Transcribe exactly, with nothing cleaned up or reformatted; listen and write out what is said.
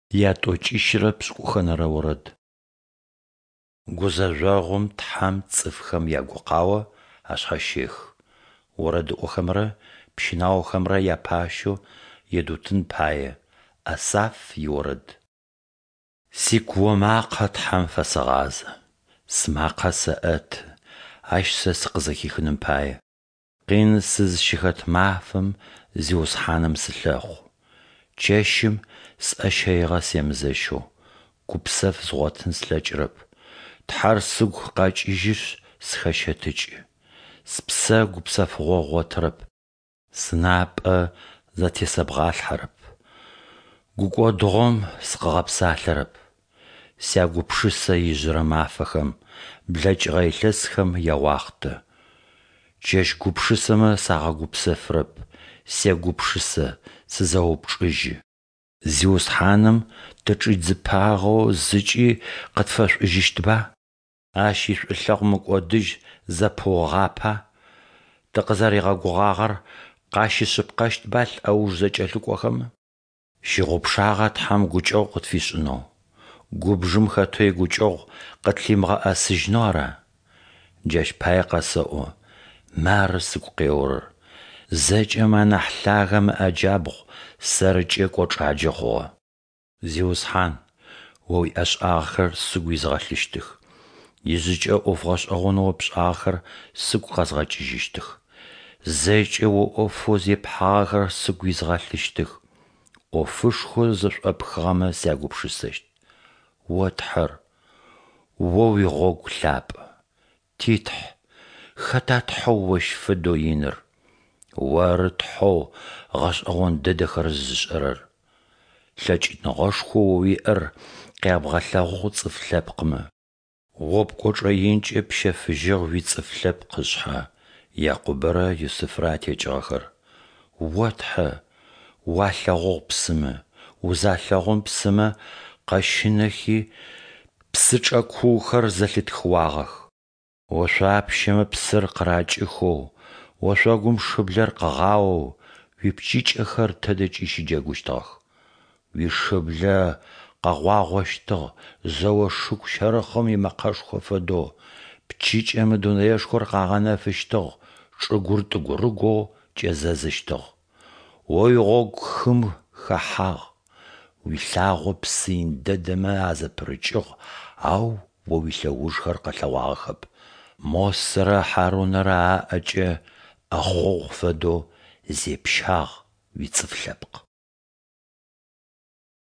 Ятӏокӏищырэ пшӏыкӏухэнэрэ орэд. Гузэжъогъум Тхьэм цӏыфхэм ягукъао ашъхьащехы. Орэдыӏохэмрэ пщынаохэмрэ япащэу Едутын пае. Асаф иорэд. Сикуо макъэ Тхьэм фэсэгъазэ, сымакъэ сэӏэты, Ащ сэ сыкъызэхихыным пае. Къин сызыщыхэт мафэм Зиусхьаным сылъэхъу. Чэщым сӏэ щэигъэ семызэщэу, гупсэф згъотын слъэкӏырэп. Тхьэр сыгу къэкӏыжьышъ, сыхэщэтыкӏы. Спсэ гупсэфыгъо ыгъотырэп. Сынапӏэ зэтесэбгъалъхьэрэп, гукӏодыгъом сыкъыгъэпсалъэрэп. Сягупшысэ ижъырэ мафэхэм, блэкӏыгъэ илъэсхэм яуахътэ. Чэщ гупшысэмэ сагъэгупсэфырэп, сегупшысэ, сызэупчӏыжьы. Зиусхьаным тычӏидзыпагъэу зыкӏи къытфэшӏужьыщтба? Ащ ишӏулъэгъу мыкӏодыжь зэпыугъапа? Тыкъызэригъэгугъагъэр къащишъыпкъэщтба лӏэуж зэкӏэлъыкӏохэм? Щыгъупшагъа Тхьэм гукӏэгъу къытфишӏынэу? Губжым хэтэу игукӏэгъу къытлъимыгъэӏэсыжьынэу ара? Джащ пае къэсэӏо: мары сыгу къеорэр: Зэкӏэм анахь Лъагэм ыӏэ джабгъу сэркӏэ кӏочӏаджэ хъугъэ. Зиусхьан, О уиӏэшӏагъэхэр сыгу изгъэлъыщтых, ижъыкӏэ ӏоф гъэшӏэгъонэу О пшӏагъэхэр сыгу къэзгъэкӏыжьыщтых. Зэкӏэ О ӏофэу зепхьагъэхэр сыгу изгъэлъыщтых, ӏофышхоу зэшӏопхыгъэмэ сягупшысэщт. О Тхьэр, О уигъогу лъапӏэ. Ти Тхь, хэта Тхьэу Ощ фэдэу иныр? Оры Тхьэу гъэшӏэгъон дэдэхэр зышӏэрэр. Лъэкӏыныгъэшхоу О уиӏэр къябгъэлъэгъугъ цӏыф лъэпкъмэ. О пкӏочӏэ инкӏэ пщэфыжьыгъ уицӏыф лъэпкъ ышъхьэ, Якъубэрэ Юсыфрэ атекӏыгъэхэр. О Тхьэ, уалъэгъугъ псымэ, узалъэгъум псымэ къэщынэхи, псычӏэ куухэр зэлъытхыуагъэх. Ошъуапщэмэ псыр къыракӏыхэу, ошъогум шыблэр къыгъаоу, уипчыкӏэхэр тыдэкӏи щыджэгущтыгъэх. Уишыблэ къэгъуагъощтыгъ зэо шыгу щэрыхъым имэкъэшхо фэдэу, пчыкӏэмэ дунэешхор къагъэнэфыщтыгъ, чӏыгур тӏыгурыгоу кӏэзэзыщтыгъ. О уигъогу хым хэхьагъ, уилъагъо псы ин дэдэмэ азэпырыкӏыгъ, ау О уилъэужхэр къэлъэгъуагъэхэп. Мосэрэ Хьарунэрэ аӏэкӏэ, ӏэхъогъу фэдэу, зепщагъ уицӏыф лъэпкъ.